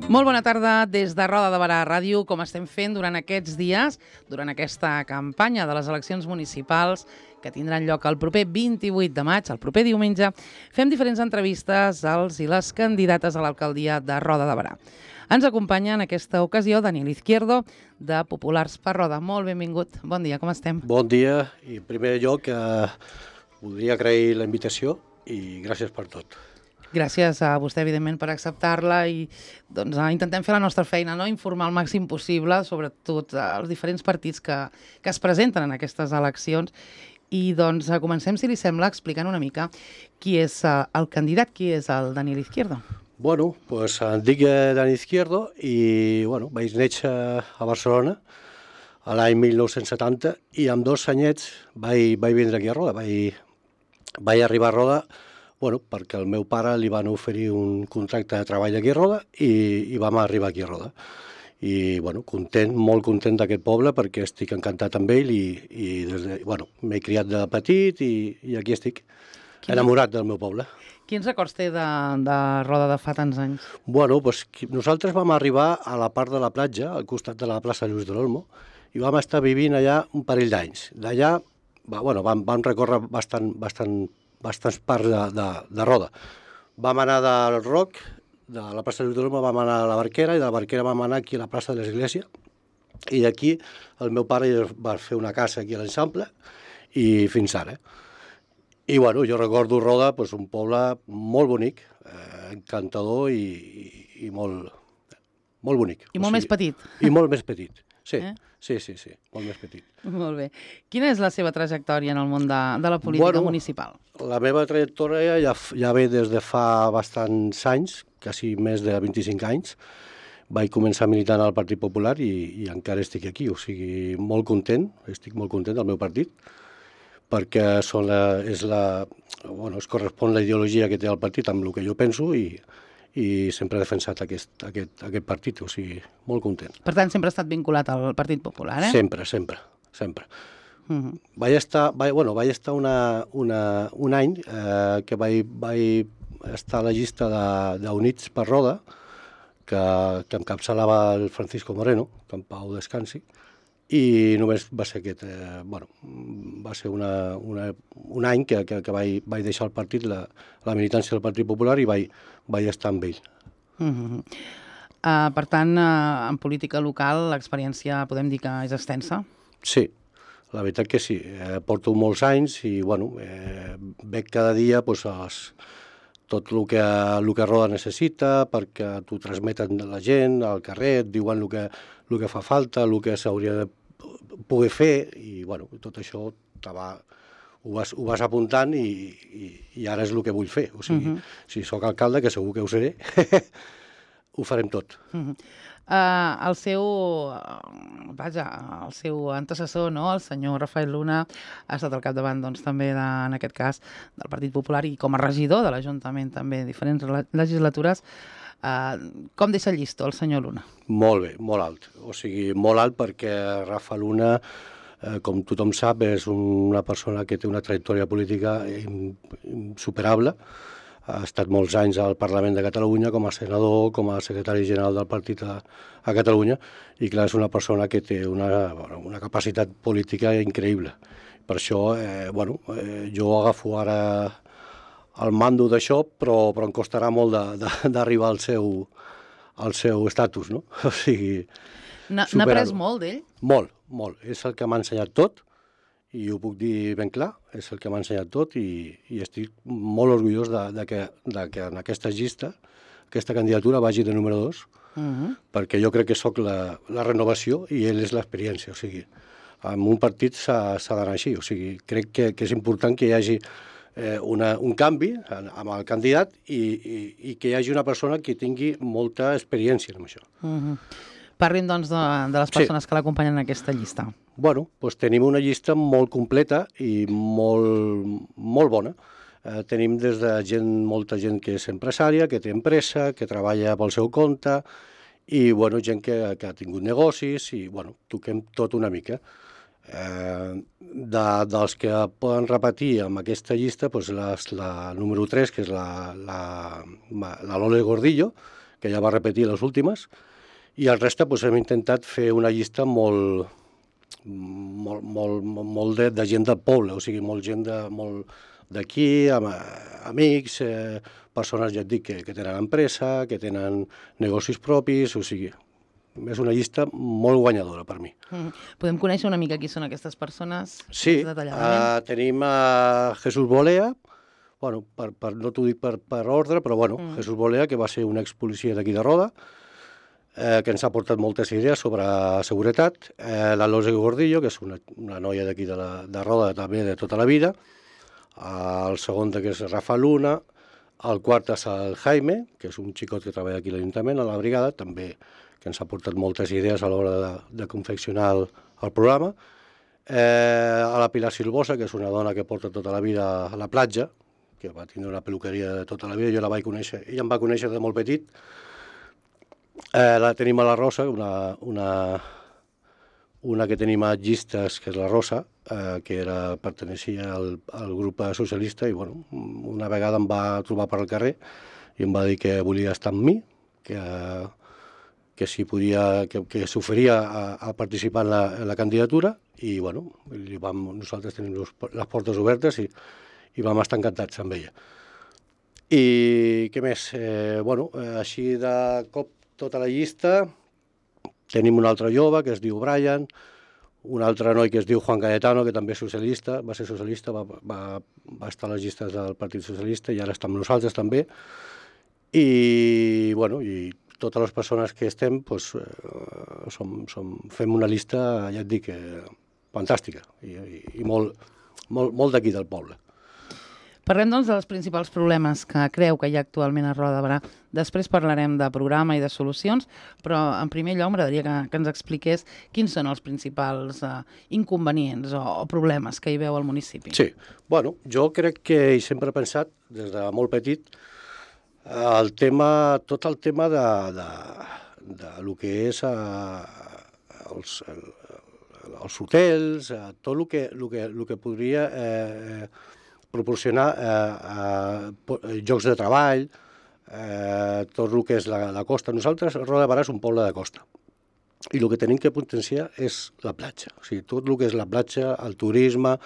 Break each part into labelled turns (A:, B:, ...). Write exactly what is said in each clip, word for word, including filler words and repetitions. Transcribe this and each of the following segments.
A: Molt bona tarda des de Roda de Berà Ràdio, com estem fent durant aquests dies, durant aquesta campanya de les eleccions municipals que tindran lloc el proper vint-i-vuit de maig, el proper diumenge. Fem diferents entrevistes als i les candidates a l'alcaldia de Roda de Berà. Ens acompanya en aquesta ocasió Daniel Izquierdo, de Populars per Roda. Molt benvingut. Bon dia, com estem?
B: Bon dia, i en primer lloc eh, voldria agrair la invitació i gràcies per tot.
A: Gràcies a vostè, evidentment, per acceptar-la i doncs, intentem fer la nostra feina, no? Informar el màxim possible, sobretot els diferents partits que, que es presenten en aquestes eleccions. I doncs comencem, si li sembla, explicant una mica qui és uh, el candidat, qui és el Daniel Izquierdo.
B: Bueno, pues em dic Dani Izquierdo i bueno, vaig néixer a Barcelona a l'any mil nou-cents setanta i amb dos anyets vaig, vaig vindre aquí a Roda. Vaig, vaig arribar a Roda bueno, perquè al meu pare li van oferir un contracte de treball aquí a Roda i, i vam arribar aquí a Roda. I bueno, content, molt content d'aquest poble perquè estic encantat amb ell i, i des de, bueno, m'he criat de petit i, i aquí estic, Quin... enamorat del meu poble.
A: Quins records té de, de Roda de fa tants anys?
B: Bueno, pues, nosaltres vam arribar a la part de la platja, al costat de la plaça Lluís de l'Olmo, i vam estar vivint allà un parell d'anys. D'allà bueno, vam, vam recórrer bastant, bastant bastants parts de, de, de Roda. Vam anar del Roc, de la plaça de l'Olmo vam anar a la Barquera i de la Barquera vam anar aquí a la plaça de l'Església i d'aquí el meu pare va fer una casa aquí a l'Eixample i fins ara. I bueno, jo recordo Roda, pues, un poble molt bonic, eh, encantador i, i, i molt, molt bonic.
A: I molt o sigui, més petit.
B: I molt més petit, sí. Eh? Sí, sí, sí, molt més petit.
A: Molt bé. Quina és la seva trajectòria en el món de, de la política
B: bueno,
A: municipal?
B: La meva trajectòria ja, ja ve des de fa bastants anys, quasi més de vint-i-cinc anys. Vaig començar militant al Partit Popular i, i encara estic aquí, o sigui, molt content, estic molt content del meu partit, perquè són la, és la, bueno, es correspon la ideologia que té el partit amb el que jo penso i i sempre he defensat aquest, aquest, aquest partit, o sigui, molt content.
A: Per tant, sempre ha estat vinculat al Partit Popular, eh?
B: Sempre, sempre, sempre.
A: Uh-huh.
B: Vaig estar, vaig, bueno, vaig estar una, una, un any eh, que vaig, vaig estar a la llista d'Units per Roda, que, que encapçalava el Francisco Moreno, que en pau descansi, i només va ser aquest, eh, bueno, va ser una, una, un any que, que, que vaig, vaig deixar el partit, la, la militància del Partit Popular i vaig, vaig estar amb ell.
A: Uh-huh. uh, per tant, uh, en política local l'experiència podem dir que és extensa?
B: Sí, la veritat que sí. Eh, porto molts anys i bueno, eh, veig cada dia pues, els, tot el que, el que Roda necessita perquè t'ho transmeten la gent al carrer, et diuen el que, el que fa falta, el que s'hauria de poder fer i bueno, tot això va, ho, vas, ho vas apuntant i, i, i ara és el que vull fer. O sigui, uh-huh. si sóc alcalde, que segur que ho seré, ho farem tot.
A: Uh-huh. Uh, el seu, vaja, el seu antecessor, no? El senyor Rafael Luna, ha estat al capdavant, doncs, també, de, en aquest cas, del Partit Popular i com a regidor de l'Ajuntament, també, diferents legislatures. Uh, com deixa el llistó el senyor Luna?
B: Molt bé, molt alt. O sigui, molt alt perquè Rafa Luna, eh, com tothom sap, és una persona que té una trajectòria política insuperable. Ha estat molts anys al Parlament de Catalunya com a senador, com a secretari general del partit a, a Catalunya, i clar, és una persona que té una, una capacitat política increïble. Per això, eh, bueno, eh, jo agafo ara el mando d'això, però, però em costarà molt d'arribar al seu, al seu estatus, no? O sigui,
A: n'ha après molt d'ell?
B: Molt, molt. És el que m'ha ensenyat tot, i ho puc dir ben clar, és el que m'ha ensenyat tot i, i estic molt orgullós de, de, que, de que en aquesta llista, aquesta candidatura vagi de número dos, uh-huh. perquè jo crec que sóc la, la renovació i ell és l'experiència. O sigui, en un partit s'ha d'anar així. O sigui, crec que, que és important que hi hagi eh, una, un canvi amb el candidat i, i, i que hi hagi una persona que tingui molta experiència en això.
A: Uh-huh. Parlin, doncs, de, de les persones sí. que l'acompanyen en aquesta llista.
B: Bueno, doncs tenim una llista molt completa i molt, molt bona. Eh, tenim des de gent, molta gent que és empresària, que té empresa, que treballa pel seu compte, i bueno, gent que, que ha tingut negocis, i bueno, toquem tot una mica. Eh, de, dels que poden repetir amb aquesta llista, doncs la, la número tres, que és la, la, la Lole Gordillo, que ja va repetir les últimes, i el reste doncs, hem intentat fer una llista molt, molt, molt, molt de, de gent del poble, o sigui, molt gent de, molt d'aquí, amb, amics, eh, persones, ja et dic, que, que tenen empresa, que tenen negocis propis, o sigui, és una llista molt guanyadora per mi.
A: Mm. Podem conèixer una mica qui són aquestes persones?
B: Sí, uh, tenim a Jesús Bolea, bueno, per, per, no t'ho dic per, per ordre, però bueno, mm. Jesús Bolea, que va ser un expolicia d'aquí de Roda, eh, que ens ha portat moltes idees sobre seguretat, eh, la Lole Gordillo, que és una, una noia d'aquí de, la, de Roda, també de tota la vida, el segon que és Rafa Luna, el quart és el Jaime, que és un xicot que treballa aquí a l'Ajuntament, a la brigada, també que ens ha portat moltes idees a l'hora de, de confeccionar el, el programa. Eh, a la Pilar Silvosa, que és una dona que porta tota la vida a la platja, que va tindre una peluqueria de tota la vida, jo la vaig conèixer, ella em va conèixer de molt petit. Eh, la tenim a la Rosa, una, una, una que tenim a llistes, que és la Rosa, eh, que era, perteneixia al, al grup socialista, i bueno, una vegada em va trobar per al carrer i em va dir que volia estar amb mi, que... que si podia, que, que s'oferia a, a participar en la, en la candidatura, i bueno, li vam, nosaltres tenim los, les portes obertes i, i vam estar encantats amb ella. I què més? Eh, bueno, eh, així de cop tota la llista, tenim un altre jove que es diu Brian, un altre noi que es diu Juan Cayetano, que també és socialista, va ser socialista, va, va, va estar a les llistes del Partit Socialista i ara està amb nosaltres també. I bueno, i totes les persones que estem, doncs, eh, som, som, fem una llista, ja et dic, eh, fantàstica i, i, i molt, molt, molt d'aquí del poble.
A: Parlem, doncs, dels principals problemes que creu que hi ha actualment a Roda de Berà. Després parlarem de programa i de solucions, però en primer lloc m'agradaria que, que ens expliqués quins són els principals eh, inconvenients o, o problemes que hi veu al municipi.
B: Sí, bueno, jo crec que he sempre pensat, des de molt petit, el tema, tot el tema de, de, de lo que és a, els, els hotels, a tot el que, el que, el que podria eh, proporcionar eh, eh, llocs de treball, eh, tot el que és la, la costa. Nosaltres, Roda de Berà és un poble de costa, i el que tenim que potenciar és la platja. O sigui, tot el que és la platja, el turisme,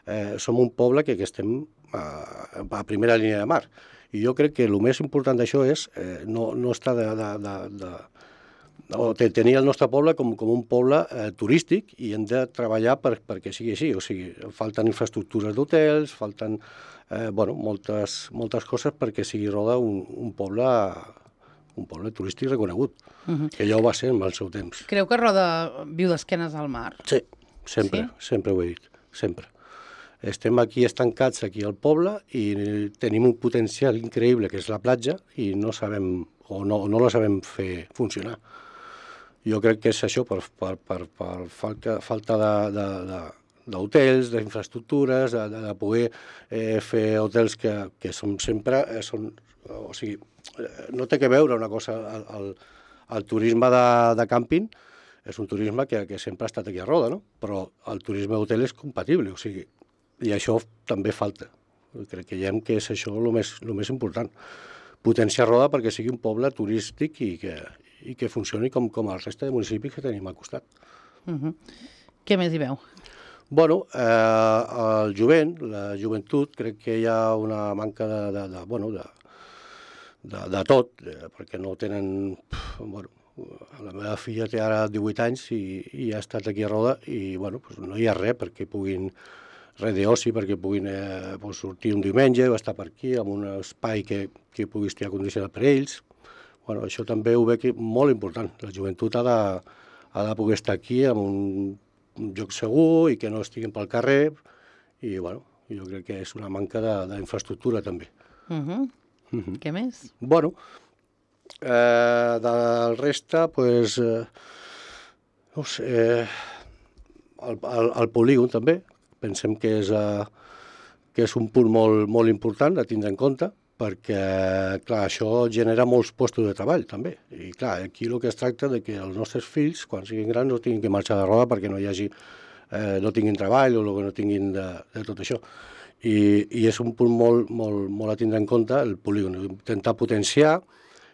B: eh, som un poble que, que estem a, a primera línia de mar. I jo crec que el més important d'això és eh, no, no estar de, de, de, de, o tenir el nostre poble com, com un poble eh, turístic, i hem de treballar per, perquè sigui així. O sigui, falten infraestructures d'hotels, falten eh, bueno, moltes, moltes coses perquè sigui Roda un, un, poble, un poble turístic reconegut, uh-huh. que ja ho va ser en el seu temps.
A: Creu que Roda viu d'esquenes al mar?
B: Sí, sempre, sí? sempre ho he dit, sempre. Estem aquí estancats, aquí al poble, i tenim un potencial increïble, que és la platja, i no sabem, o no, no la sabem fer funcionar. Jo crec que és això, per, per, per, per falta, falta d'hotels, d'infraestructures, de, de, de poder eh, fer hotels que, que són sempre... Eh, són, o sigui, no té que veure una cosa... El, el, el turisme de, de càmping és un turisme que, que sempre ha estat aquí a Roda, no? Però el turisme d'hotel és compatible, o sigui, i això també falta. Crec que ja que és això el més, el més important. Potenciar Roda perquè sigui un poble turístic i que, i que funcioni com, com el reste de municipis que tenim al costat.
A: Uh-huh. Què més hi veu?
B: Bueno, eh, el jovent, la joventut, crec que hi ha una manca de, de, de, bueno, de, de, de tot, eh, perquè no tenen... Bueno, la meva filla té ara divuit anys i, i ha estat aquí a Roda i bueno, doncs no hi ha res perquè puguin... res d'oci perquè puguin eh, pues, sortir un diumenge o estar per aquí amb un espai que, que pugui estar condicionat per ells. Bueno, això també ho veig molt important. La joventut ha de, ha de poder estar aquí en un, un lloc segur i que no estiguin pel carrer i, bueno, Jo crec que és una manca d'infraestructura, també.
A: Uh -huh. Uh -huh. Què més?
B: Bueno, eh, del reste, doncs, eh, no sé, eh, el, el, el polígon, també, pensem que és, eh, que és un punt molt, molt important a tindre en compte, perquè, clar, això genera molts postos de treball, també. I, clar, aquí el que es tracta de que els nostres fills, quan siguin grans, no tinguin que marxar de roda perquè no hi hagi, eh, no tinguin treball o que no tinguin de, de tot això. I, i és un punt molt, molt, molt a tindre en compte, el polígon, intentar potenciar,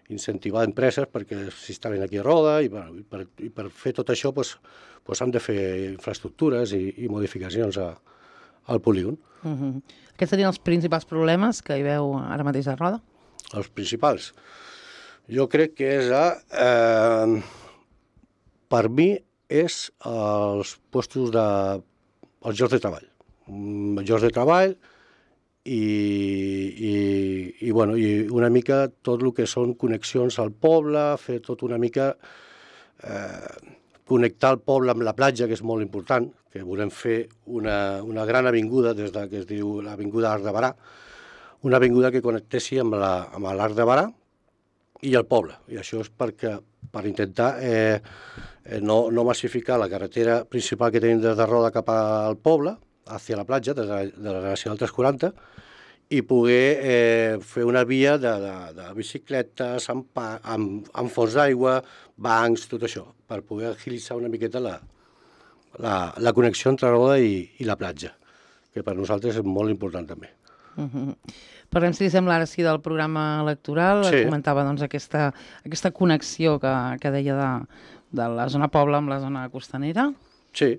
B: incentivar empreses perquè s'instal·lin aquí a Roda, i, bueno, i, per, i per fer tot això doncs, doncs han de fer infraestructures i, i modificacions a, al polígon.
A: Uh -huh. Aquests serien els principals problemes que hi veu ara mateix a Roda?
B: Els principals? Jo crec que és, a, eh, per mi, és els postos de... els llocs de treball. Llocs de treball i, i, i, bueno, i una mica tot el que són connexions al poble, fer tot una mica... Eh, connectar el poble amb la platja, que és molt important, que volem fer una, una gran avinguda, des de, que es diu l'Avinguda Arc de Barà, una avinguda que connectessi amb l'Arc de Barà i el poble. I això és perquè, per intentar eh, no, no massificar la carretera principal que tenim des de Roda cap al poble, hacia la platja, des de, de la Nacional tres quaranta, i poder eh, fer una via de, de, de bicicletes, amb, amb, amb fons d'aigua, bancs, tot això, per poder agilitzar una miqueta la, la, la connexió entre Roda i, i la platja, que per nosaltres és molt important també.
A: Uh -huh. Parlem, si li sembla, ara sí del programa electoral.
B: Sí.
A: Comentava doncs, aquesta, aquesta connexió que, que deia de, de la zona poble amb la zona costanera.
B: Sí,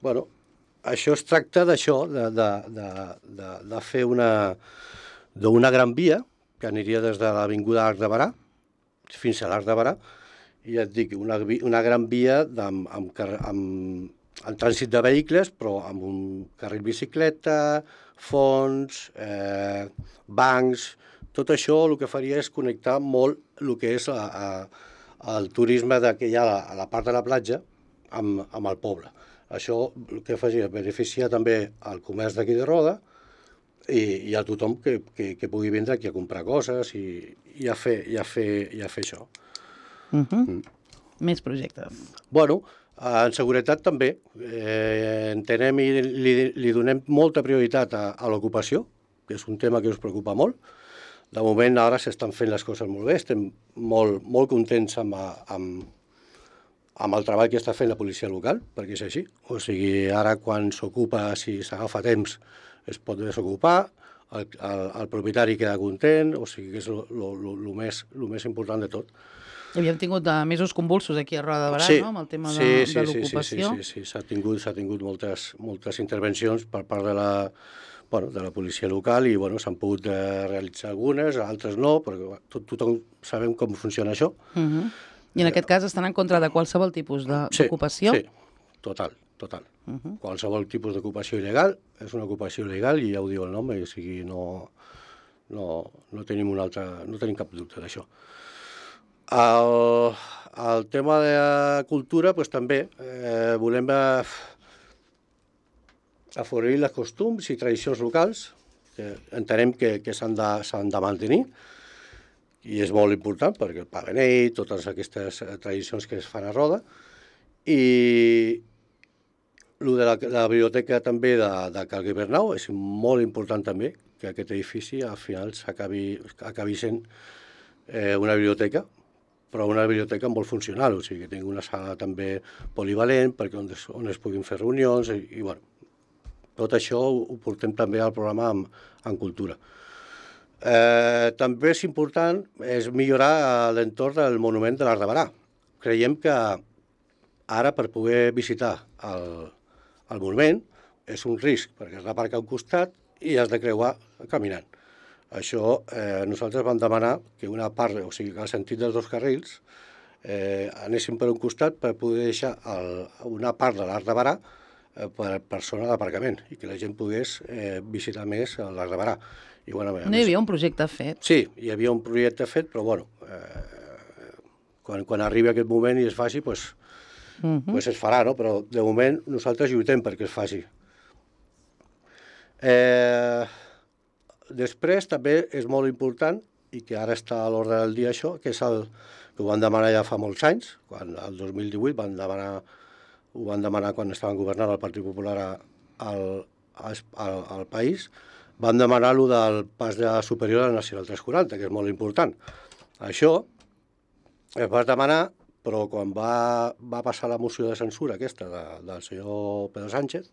B: bueno, això es tracta d'això, de, de, de, de, de fer una, d'una gran via que aniria des de l'Avinguda Arc de Barà fins a l'Arc de Barà, i ja et dic, una, una gran via amb, amb, amb, amb trànsit de vehicles, però amb un carril bicicleta, fons, eh, bancs, tot això el que faria és connectar molt el que és a, a, el turisme de, que hi ha a la, a la part de la platja amb, amb el poble. Això el que faria beneficiar també el comerç d'aquí de Roda i, i a tothom que, que, que pugui vindre aquí a comprar coses i, i, a, fer, i, a, fer, i a fer això.
A: Uh -huh. mm. Més projectes.
B: Bueno, en seguretat també. Eh, entenem i li, li donem molta prioritat a, a l'ocupació, que és un tema que us preocupa molt. De moment ara s'estan fent les coses molt bé, estem molt, molt contents amb, amb, amb el treball que està fent la policia local, perquè és així. O sigui, ara quan s'ocupa, si s'agafa temps, es pot desocupar, el, el, el propietari queda content, o sigui que és el més, més important de tot.
A: Havíem tingut uh, mesos convulsos aquí a Roda de Barà,
B: sí,
A: no?, amb el tema de,
B: sí, sí,
A: de l'ocupació.
B: Sí, sí, sí, sí. s'ha tingut, s'ha tingut moltes, moltes intervencions per part de la, bueno, de la policia local i bueno, s'han pogut eh, realitzar algunes, altres no, perquè tot, tothom sabem com funciona això.
A: Uh -huh. I en aquest cas estan en contra de qualsevol tipus d'ocupació?
B: Sí, sí, total, total. Uh -huh. Qualsevol tipus d'ocupació il·legal és una ocupació il·legal i ja ho diu el nom, o sigui, no, no, no tenim un altre, no tenim cap dubte d'això. El, el tema de cultura, doncs també eh, volem eh, afavorir els costums i tradicions locals, que entenem que, que s'han de, s'han de mantenir, i és molt important perquè el pa beneit, totes aquestes tradicions que es fan a Roda, i el de la, de la biblioteca també de, de Cal Guibernau és molt important també, que aquest edifici al final s'acabi acabi sent eh, una biblioteca, però una biblioteca molt funcional, o sigui que tingui una sala també polivalent perquè on es, on es puguin fer reunions i, i bueno, tot això ho, ho portem també al programa en, en cultura. Eh, també és important és millorar l'entorn del monument de l'Arc de Barà. Creiem que ara per poder visitar el, el monument és un risc perquè has d'aparcar a un costat i has de creuar caminant. Això eh, nosaltres vam demanar que una part, o sigui que al sentit dels dos carrils, eh, anessin per un costat per poder deixar el, una part de l'Arc de Barà eh, per, per zona d'aparcament i que la gent pogués eh, visitar més l'Arc de Barà. I, bueno,
A: no hi havia un projecte fet?
B: Sí, hi havia un projecte fet, però bueno, eh, quan, quan arribi aquest moment i es faci, doncs, uh -huh. pues es farà, no? Però de moment nosaltres lluitem perquè es faci. Eh, després també és molt important, i que ara està a l'ordre del dia això, que és el que ho van demanar ja fa molts anys, quan el dos mil divuit van demanar, ho van demanar quan estaven governant el Partit Popular a, al, al, al país, van demanar lo del pas de superior a la Nacional tres quaranta, que és molt important. Això es va demanar, però quan va, va passar la moció de censura aquesta de, del senyor Pedro Sánchez,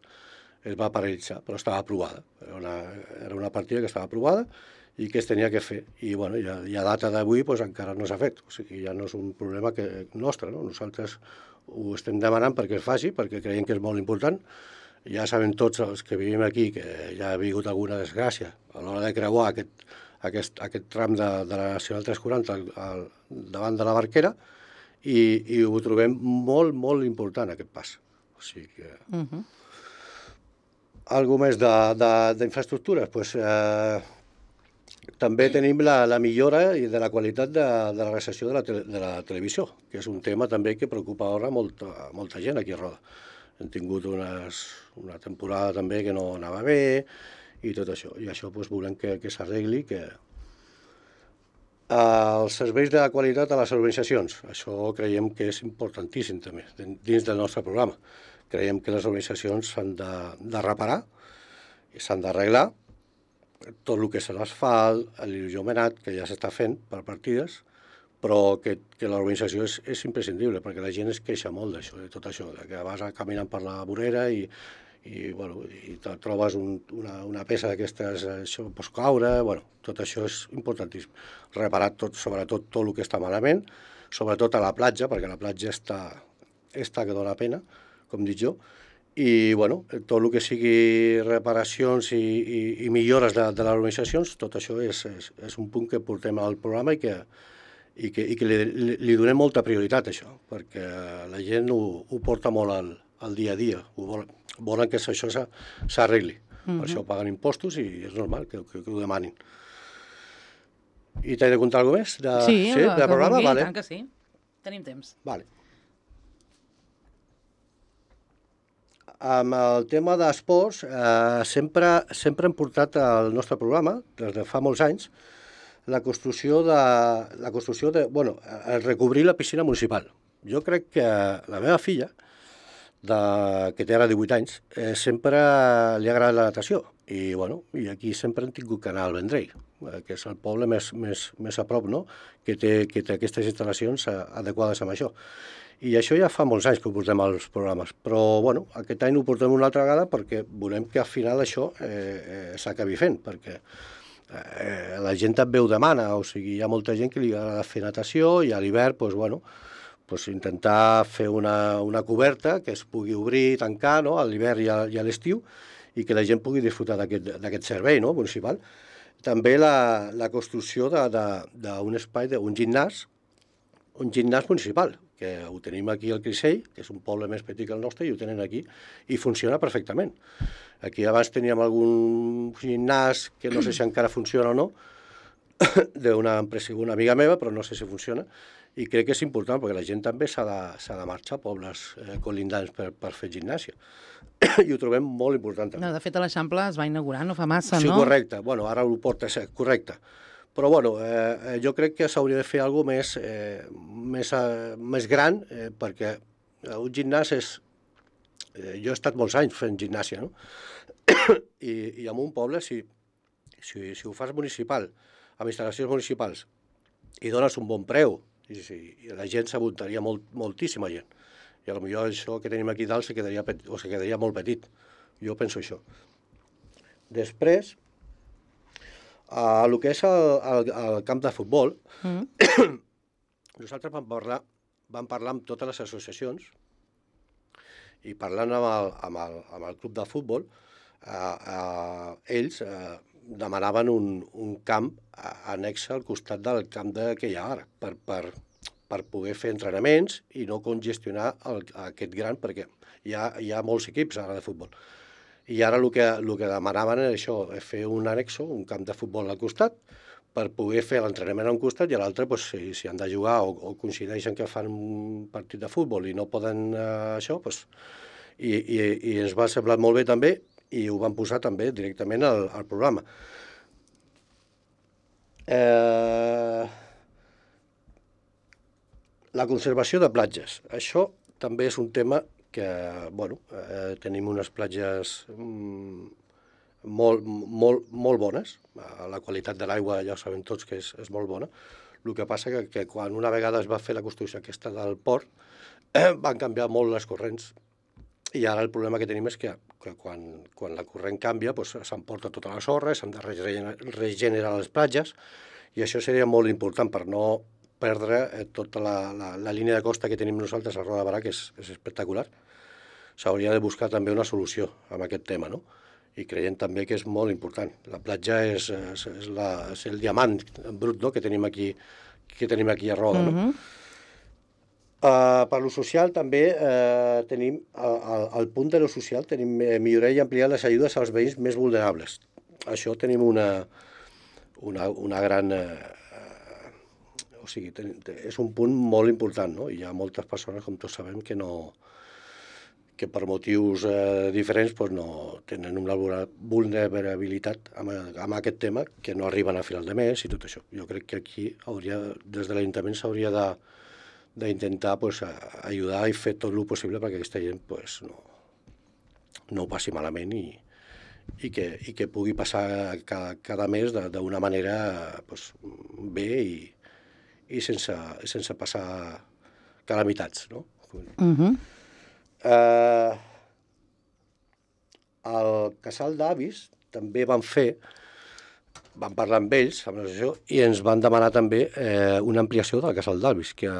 B: es va paralitzar, però estava aprovada. Era una, era una partida que estava aprovada i que es tenia que fer. I, bueno, i a, i a data d'avui pues, encara no s'ha fet. O sigui, ja no és un problema que, nostre, no? Nosaltres ho estem demanant perquè es faci, perquè creiem que és molt important. Ja sabem tots els que vivim aquí que ja ha vingut alguna desgràcia a l'hora de creuar aquest, aquest, aquest tram de, de la Nacional tres quaranta al, al, davant de la Barquera i, i ho trobem molt, molt important, aquest pas. O sigui que... Uh -huh. Algo més d'infraestructures? Pues, eh, també tenim la, la millora de la qualitat de, de la recepció de la, tele, de la televisió, que és un tema també que preocupa ara molta, molta gent aquí a Roda. Hem tingut unes, una temporada també que no anava bé i tot això. I això pues, volem que, que s'arregli, que els serveis de qualitat a les organitzacions, això creiem que és importantíssim també, dins del nostre programa. Creiem que les organitzacions s'han de, de reparar i s'han d'arreglar tot el que és l'asfalt, l'il·luminat, que ja s'està fent per partides, però que, que l'organització és, és imprescindible, perquè la gent es queixa molt d'això, de tot això, de que vas caminant per la vorera i, i, bueno, i te trobes un, una, una peça d'aquestes, això pots caure, bueno, tot això és importantíssim. Reparar tot, sobretot tot el que està malament, sobretot a la platja, perquè la platja està, està que dona pena, com dic jo, i bueno, tot el que sigui reparacions i, i, i millores de, de les organitzacions, tot això és, és, és un punt que portem al programa i que, i que, i que li, li, li donem molta prioritat, això, perquè la gent ho, ho porta molt al, al dia a dia, ho vol, volen que això s'arregli, mm-hmm. Per això paguen impostos i és normal que, que, que ho demanin. I t'he de contar alguna cosa més? De,
A: sí,
B: sí,
A: de
B: programa?
A: Vulgui,
B: vale.
A: tant que sí. Tenim temps.
B: Vale. Amb el tema d'esports, eh, sempre, sempre hem portat al nostre programa, des de fa molts anys, la construcció de, la construcció de, bueno, recobrir la piscina municipal. Jo crec que la meva filla, de, que té ara divuit anys, eh, sempre li ha agradat la natació. I, bueno, i aquí sempre hem tingut que anar al Vendrell, eh, que és el poble més, més, més a prop, no?, que té, que té aquestes instal·lacions adequades amb això. I això ja fa molts anys que ho portem als programes, però bueno, aquest any ho portem una altra vegada perquè volem que al final això eh, eh, s'acabi fent, perquè eh, la gent també ho demana, o sigui, hi ha molta gent que li agrada fer natació i a l'hivern, doncs, bueno, doncs intentar fer una, una coberta que es pugui obrir i tancar, no?, a l'hivern i a, i a l'estiu, i que la gent pugui disfrutar d'aquest servei, no?, municipal. També la, la construcció d'un espai, d'un gimnàs, un gimnàs municipal, que ho tenim aquí al Crissell, que és un poble més petit que el nostre, i ho tenen aquí, i funciona perfectament. Aquí abans teníem algun gimnàs, que no sé si encara funciona o no, d'una empresa, una amiga meva, però no sé si funciona, i crec que és important, perquè la gent també s'ha de, de marxar a pobles eh, colindants per, per fer gimnàsia. I ho trobem molt important també.
A: No, de fet, a l'Eixample es va inaugurar no fa massa,
B: sí,
A: no?
B: Sí, correcte. Bueno, ara ho porta, correcte. Però bueno, eh, jo crec que s'hauria de fer alguna cosa més, eh, més, eh, més gran, eh, perquè un gimnàs és... Eh, jo he estat molts anys fent gimnàsia, no? I, i en un poble, si, si, si ho fas municipal, amb instal·lacions municipals, i dones un bon preu, i, si, i la gent s'apuntaria molt, moltíssima gent. I potser això que tenim aquí dalt se quedaria, o se quedaria molt petit. Jo penso això. Després... Uh, el que és el, el, el camp de futbol, mm. nosaltres vam parlar, vam parlar amb totes les associacions i parlant amb el, amb el, amb el club de futbol, uh, uh, ells uh, demanaven un, un camp annex al costat del camp de, que hi ha ara, per, per, per poder fer entrenaments i no congestionar el, aquest gran, perquè hi ha, hi ha molts equips ara de futbol. I ara el que, el que demanaven era això, fer un annexo, un camp de futbol al costat, per poder fer l'entrenament a un costat i a l'altre, doncs, si, si han de jugar o, o coincideixen que fan un partit de futbol i no poden eh, això, doncs, i, i, i ens va semblar molt bé també, i ho van posar també directament al, al programa. Eh, la conservació de platges. Això també és un tema que, bueno, eh, tenim unes platges mm, molt, molt, molt bones. La qualitat de l'aigua ja ho sabem tots que és, és molt bona. El que passa que, que quan una vegada es va fer la construcció aquesta del port, eh, van canviar molt les corrents. I ara el problema que tenim és que, que quan, quan la corrent canvia doncs, s'emporta tota la sorra, s'han de regenerar, regenerar les platges, i això seria molt important per no perdre eh, tota la, la, la línia de costa que tenim nosaltres a Roda de Barà, que és, és espectacular. S'hauria de buscar també una solució amb aquest tema, no? I creiem també que és molt important. La platja és, és, és, la, és el diamant brut, no?, que tenim aquí, que tenim aquí a Roda, no? Mm-hmm. Uh, per lo social també uh, tenim, al, al punt de lo social, tenim eh, millorar i ampliar les ajudes als veïns més vulnerables. Això tenim una, una, una gran... Uh, o sigui, ten, és un punt molt important, no? Hi ha moltes persones, com tots sabem, que no que per motius eh, diferents pues, no tenen una vulnerabilitat amb, amb aquest tema, que no arriben a final de mes i tot això. Jo crec que aquí hauria, des de l'Ajuntament s'hauria de d'intentar pues, ajudar i fer tot el possible perquè aquesta gent pues, no, no ho passi malament i, i, que, i que pugui passar cada, cada mes d'una manera pues, bé i, i sense, sense passar calamitats. No?
A: Uh-huh.
B: eh, el casal d'avis també van fer, van parlar amb ells, amb l'associació, i ens van demanar també eh, una ampliació del casal d'avis, que,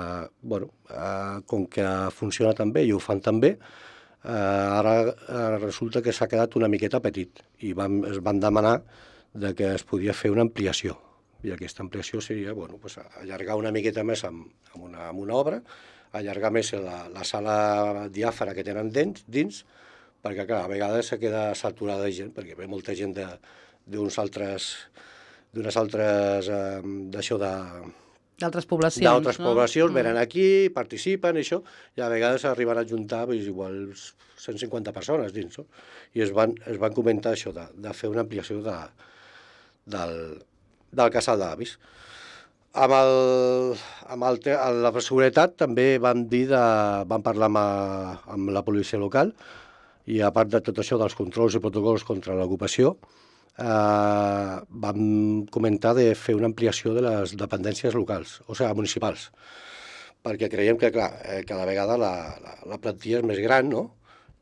B: bueno, eh, com que funciona tan bé i ho fan tan bé, eh, ara eh, resulta que s'ha quedat una miqueta petit, i van, es van demanar de que es podia fer una ampliació, i aquesta ampliació seria, bueno, pues, allargar una miqueta més amb, amb, una, amb una obra, allargar més la, la sala diàfara que tenen dins, dins, perquè, clar, a vegades se queda saturada de gent, perquè ve molta gent de d'uns altres, d'unes altres, eh, d'això de...
A: D'altres poblacions,
B: D'altres
A: no?
B: poblacions,
A: Mm.
B: venen aquí, participen, i això, i a vegades arriben a juntar pues, igual cent cinquanta persones dins, no? I es van, es van comentar això, de, de fer una ampliació de, del, del casal d'avis. Amb, el, amb el, la seguretat també vam dir de, vam parlar amb, a, amb la policia local, i a part de tot això dels controls i protocols contra l'ocupació, eh, vam comentar de fer una ampliació de les dependències locals, o sigui, municipals, perquè creiem que, clar, eh, cada vegada la, la, la plantilla és més gran, no?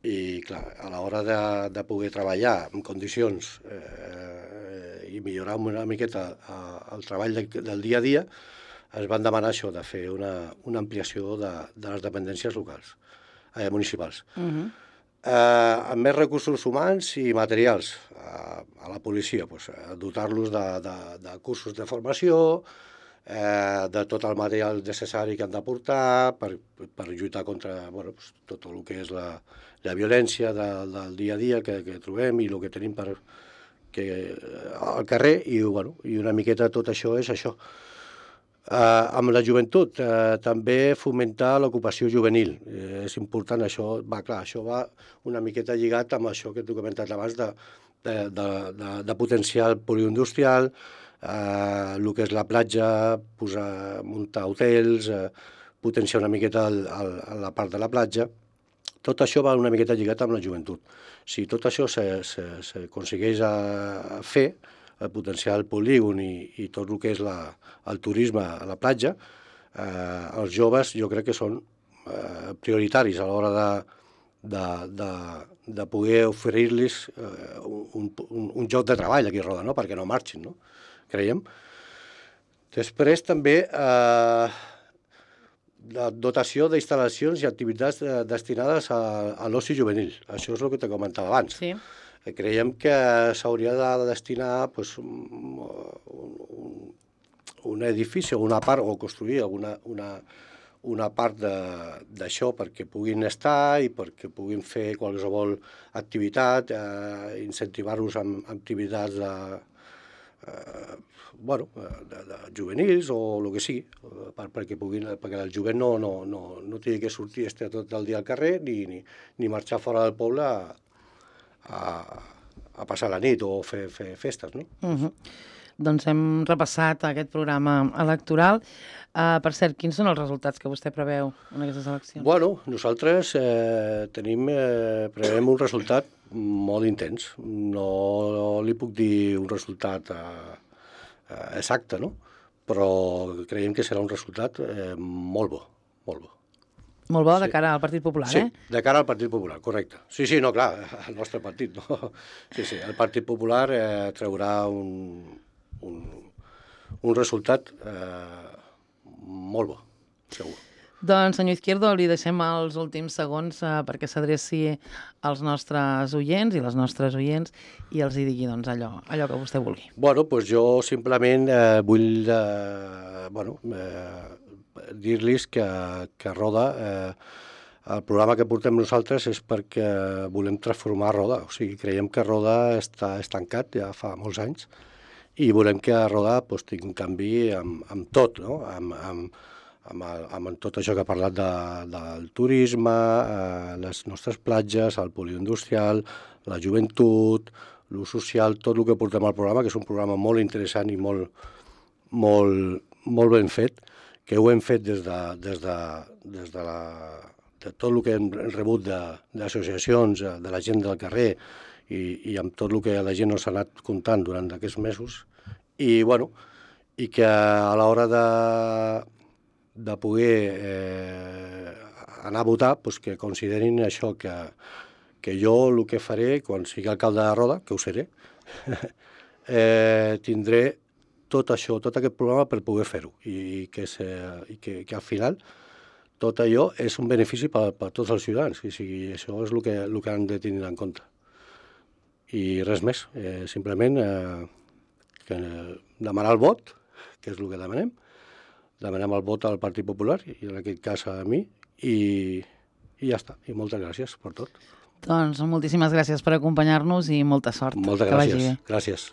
B: I, clar, a l'hora de, de poder treballar en condicions eh, i millorar una miqueta eh, el treball de, del dia a dia, es van demanar això, de fer una, una ampliació de, de les dependències locals, eh, municipals.
A: Uh-huh.
B: Eh, amb més recursos humans i materials eh, a la policia, pues, dotar-los de, de, de cursos de formació, eh, de tot el material necessari que han de portar per, per lluitar contra bueno, pues, tot el que és la, la violència de, del dia a dia que, que trobem i el que tenim per, que, al carrer, i, bueno, i una miqueta tot això és això. Eh, amb la joventut, eh, també fomentar l'ocupació juvenil. Eh, és important això, va clar, això va una miqueta lligat amb això que t'he comentat abans de, de, de, de, de potenciar el poliindustrial, eh, el que és la platja, posar, muntar hotels, eh, potenciar una miqueta el, el, la part de la platja. Tot això va una miqueta lligat amb la joventut. Si tot això s'aconsegueix fer, el potenciar el polígon i, i tot el que és la, el turisme a la platja, eh, els joves jo crec que són eh, prioritaris a l'hora de, de, de, de poder oferir-los eh, un, un, un lloc de treball aquí a Roda, no? Perquè no marxin, no? Creiem. Després també eh, la dotació d'instal·lacions i activitats destinades a, a l'oci juvenil. Això és el que te comentava abans.
A: Sí.
B: Creiem que s'hauria de destinar pues, un, un, un edifici o una part, o construir alguna, una, una part d'això perquè puguin estar i perquè puguin fer qualsevol activitat, eh, incentivar-los amb, amb activitats de, eh, bueno, de, de juvenils o el que sigui, per, perquè, puguin, perquè el jovent no, no, no, no tingui que sortir estar tot el dia al carrer ni, ni, ni marxar fora del poble a, a, a passar la nit o fer, fer festes, no?
A: Uh -huh. Doncs hem repassat aquest programa electoral. Uh, per cert, quins són els resultats que vostè preveu en aquestes eleccions?
B: Bueno, nosaltres eh, tenim, eh, preveiem un resultat molt intens. No li puc dir un resultat eh, eh, exacte, no? Però creiem que serà un resultat eh, molt bo, molt bo.
A: Molt bo de cara al Partit Popular,
B: sí,
A: eh?
B: Sí, de cara al Partit Popular, correcte. Sí, sí, no, clar, el nostre partit, no? Sí, sí, el Partit Popular eh, traurà un, un, un resultat eh, molt bo, segur.
A: Doncs, senyor Izquierdo, li deixem els últims segons eh, perquè s'adreci als nostres oients i les nostres oients i els hi digui doncs, allò, allò que vostè vulgui.
B: Bueno, doncs jo simplement eh, vull eh, bueno, eh, dir-los que, que Roda, eh, el programa que portem nosaltres és perquè volem transformar Roda. O sigui, creiem que Roda està estancat ja fa molts anys i volem que Roda pues, tingui un canvi amb, amb tot, no? amb, amb, amb, amb tot això que ha parlat de, del turisme, eh, les nostres platges, el polioindustrial, la joventut, l'ús social, tot el que portem al programa, que és un programa molt interessant i molt, molt, molt ben fet, que ho hem fet des de, des de, des de, la, de tot el que hem rebut d'associacions, de, de la gent del carrer i, i amb tot el que la gent ens ha anat comptant durant aquests mesos. I, bueno, i que a l'hora de, de poder eh, anar a votar, pues que considerin això, que, que jo el que faré quan sigui alcalde de Roda, que ho seré, eh, tindré tot això, tot aquest programa per poder fer-ho i, que, se, i que, que al final tot allò és un benefici per, per tots els ciutadans. I sigui, això és el que, el que han de tenir en compte. I res més, eh, simplement eh, que demanar el vot, que és el que demanem, demanem el vot al Partit Popular, i en aquest cas a mi, i, i ja està. I moltes gràcies per tot.
A: Doncs moltíssimes gràcies per acompanyar-nos i molta sort.
B: Moltes gràcies. Gràcies.